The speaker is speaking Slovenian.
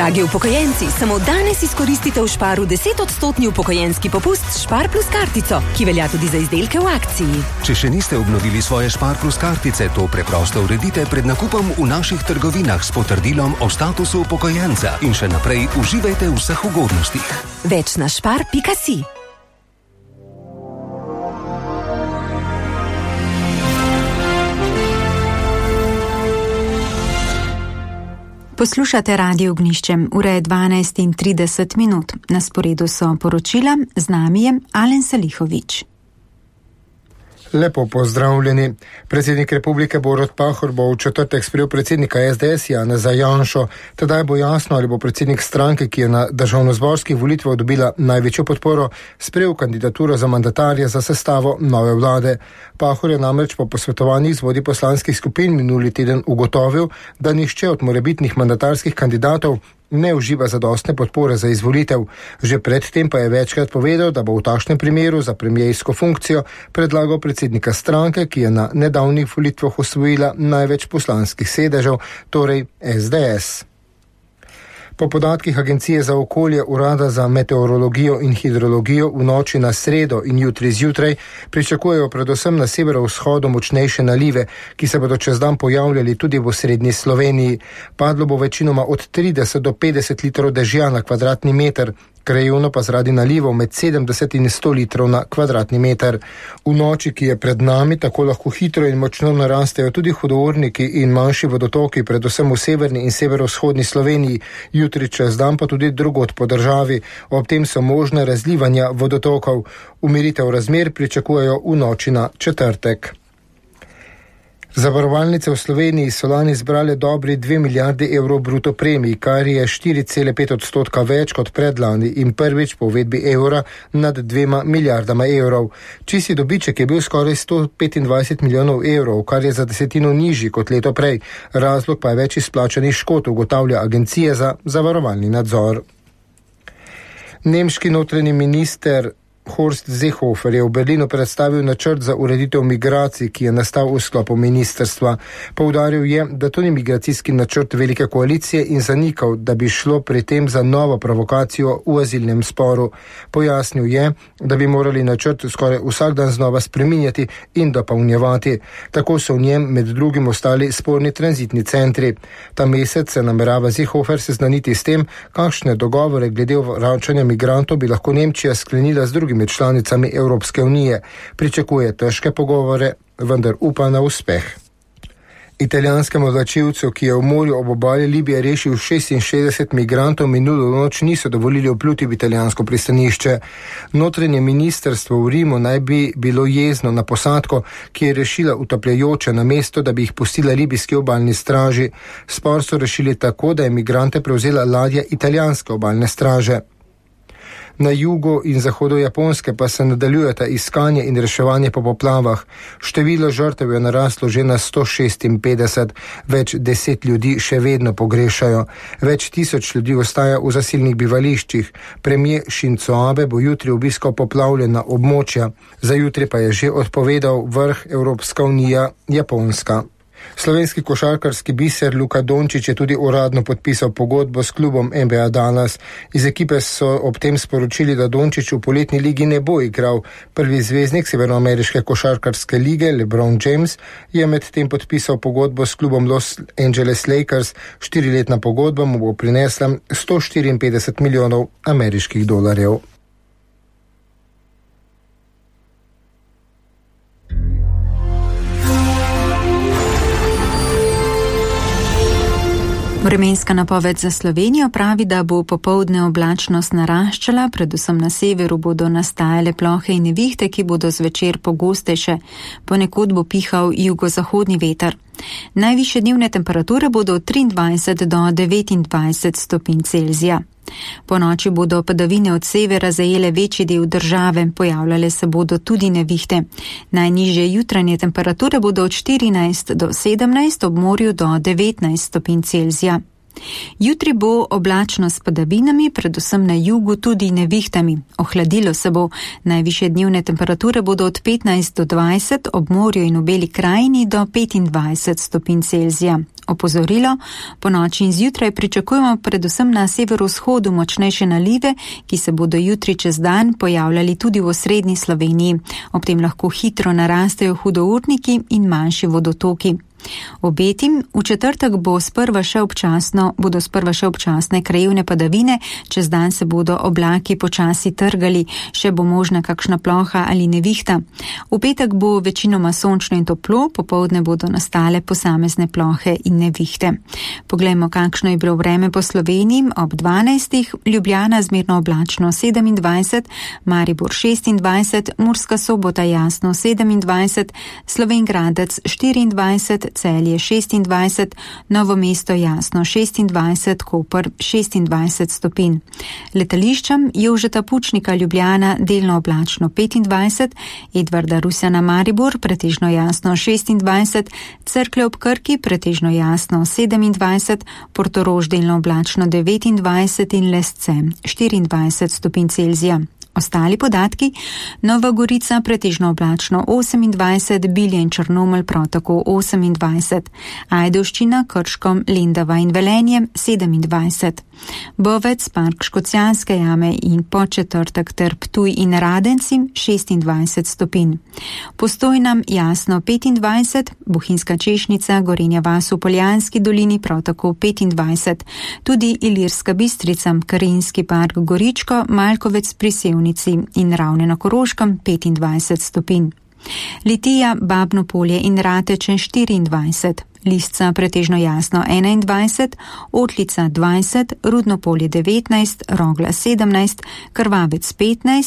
Dragi upokojenci, samo danes izkoristite v Sparu 10% upokojenski popust Spar plus kartico, ki velja tudi za izdelke v akciji. Če še niste obnovili svoje Spar plus kartice, to preprosto uredite pred nakupom v naših trgovinah s potrdilom o statusu upokojenca in še naprej uživajte v vseh ugodnostih. Več na spar.si. Poslušate Radio Ognjišče, ura je 12:30. Na sporedu so poročila, z nami je Alen Salihović. Lepo pozdravljeni. Predsednik Republike Borut Pahor bo v četrtek sprejel predsednika SDS Janeza Janšo. Tedaj bo jasno, ali bo predsednik stranke, ki je na državnozborskih volitvah dobila največjo podporo, sprejel kandidaturo za mandatarja za sestavo nove vlade. Pahor je namreč po posvetovanjih z vodji poslanskih skupin minuli teden ugotovil, da nihče od morebitnih mandatarskih kandidatov ne uživa zadostne podpore za izvolitev. Že predtem pa je večkrat povedal, da bo v takšnem primeru za premiersko funkcijo predlagal predsednika stranke, ki je na nedavnih volitvah osvojila največ poslanskih sedežev, torej SDS. Po podatkih Agencije za okolje, Urada za meteorologijo in hidrologijo v noči na sredo in jutri zjutraj pričakujejo predvsem na severovzhodu močnejše nalive, ki se bodo čez dan pojavljali tudi v osrednji Sloveniji. Padlo bo večinoma od 30 do 50 litrov dežja na kvadratni meter, krajevno pa zaradi nalivov med 70 in 100 litrov na kvadratni meter. V noči, ki je pred nami, tako lahko hitro in močno narastejo tudi hudourniki in manjši vodotoki, predvsem v severni in severovzhodni Sloveniji, jutri čez dan pa tudi drugod po državi. Ob tem so možne razlivanja vodotokov. Umiritev razmer pričakujejo v noči na četrtek. Zavarovalnice v Sloveniji so lani zbrale dobri 2 milijardi evrov bruto premij, kar je 4,5% več kot predlani in prvič po uvedbi evra nad 2 milijardama evrov. Čisti dobiček je bil skoraj 125 milijonov evrov, kar je za desetino nižji kot leto prej. Razlog pa je več izplačanih škod, ugotavlja Agencija za zavarovalni nadzor. Nemški notranji minister Horst Seehofer je v Berlinu predstavil načrt za ureditev migracij, ki je nastal v sklopu ministrstva. Poudaril je, da to ni migracijski načrt velike koalicije in zanikal, da bi šlo pri tem za novo provokacijo v azilnem sporu. Pojasnil je, da bi morali načrt skoraj vsak dan znova spreminjati in dopolnjevati. Tako so v njem med drugim ostali sporni tranzitni centri. Ta mesec se namerava Seehofer seznaniti s tem, kakšne dogovore glede vračanja migrantov bi lahko Nemčija sklenila z drugim med članicami Evropske unije. Pričakuje težke pogovore, vendar upa na uspeh. Italijanskemu vlačilcu, ki je v morju ob obali Libije rešil 66 migrantov, minulo noč niso dovolili vpluti v italijansko pristanišče. Notranje ministrstvo v Rimu naj bi bilo jezno na posadko, ki je rešila utapljajoče, namesto da bi jih pustila libijski obalni straži. Spor so rešili tako, da je migrante prevzela ladja italijanske obalne straže. Na jugu in zahodu Japonske pa se nadaljujeta iskanje in reševanje po poplavah. Število žrtev je naraslo že na 156, več 10 ljudi še vedno pogrešajo. Več tisoč ljudi ostaja v zasilnih bivališčih. Premier Shinzo Abe bo jutri obiskal poplavljena območja. Za jutri pa je že odpovedal vrh Evropska unija Japonska. Slovenski košarkarski biser Luka Dončić je tudi uradno podpisal pogodbo s klubom NBA Dallas. Iz ekipe so ob tem sporočili, da Dončić v poletni ligi ne bo igral. Prvi zvezdnik severnoameriške košarkarske lige LeBron James je med tem podpisal pogodbo s klubom Los Angeles Lakers. 4-letna pogodba mu bo prinesla 154 milijonov ameriških dolarjev. Vremenska napoved za Slovenijo pravi, da bo popoldne oblačnost naraščala, predvsem na severu bodo nastajale plohe in nevihte, ki bodo zvečer pogostejše. Ponekod bo pihal jugozahodni veter. Najvišje dnevne temperature bodo od 23 do 29 stopinj Celzija. Po noči bodo padavine od severa zajele večji del države, pojavljale se bodo tudi nevihte. Najnižje jutranje temperature bodo od 14 do 17, ob morju do 19 stopinj Celzija. Jutri bo oblačno s padavinami, predvsem na jugu tudi nevihtami. Ohladilo se bo, najvišje dnevne temperature bodo od 15 do 20, ob morju in v Beli krajini do 25 stopinj Celzija. Opozorilo, po noči in zjutraj pričakujemo predvsem na severovzhodu močnejše nalive, ki se bodo jutri čez dan pojavljali tudi v osrednji Sloveniji. Ob tem lahko hitro narastejo hudourniki in manjši vodotoki. Obetim, v četrtek bodo sprva še občasne krajevne padavine, čez dan se bodo oblaki počasi trgali, še bo možna kakšna ploha ali nevihta. V petek bo večinoma sončno in toplo, popoldne bodo nastale posamezne plohe in nevihte. Poglejmo, kakšno je bilo vreme po Sloveniji. Ob 12. Ljubljana zmerno oblačno 27, Maribor 26, Murska Sobota jasno 27, Slovenj Gradec 24, Celje 26, Novo mesto jasno 26, Koper 26 stopinj. Letališčem Jožeta Pučnika Ljubljana delno oblačno 25, Edvarda Rusjana Maribor pretežno jasno 26, Cerklje ob Krki pretežno jasno 27, Portorož delno oblačno 29 in Lesce 24 stopinj Celzija. Ostali podatki: Nova Gorica pretežno oblačno 28, Bilje in Črnomelj prav tako 28, Ajdovščina, Krško, Lendava in Velenje 27, Bovec, Park Škocjanske jame in Podčetrtek ter Ptuj in Radenci 26 stopinj. Postojna jasno 25, Bohinjska Češnica, Gorenja vas v Poljanski dolini prav tako 25, tudi Ilirska Bistrica, Karinski park Goričko, Malkovec pri Sevnici in Ravne na Koroškem 25 stopinj. Litija, Babno Polje in Rateče 24, Lisca pretežno jasno 21, Otlica 20, Rudno Polje 19, Rogla 17, Krvavec 15,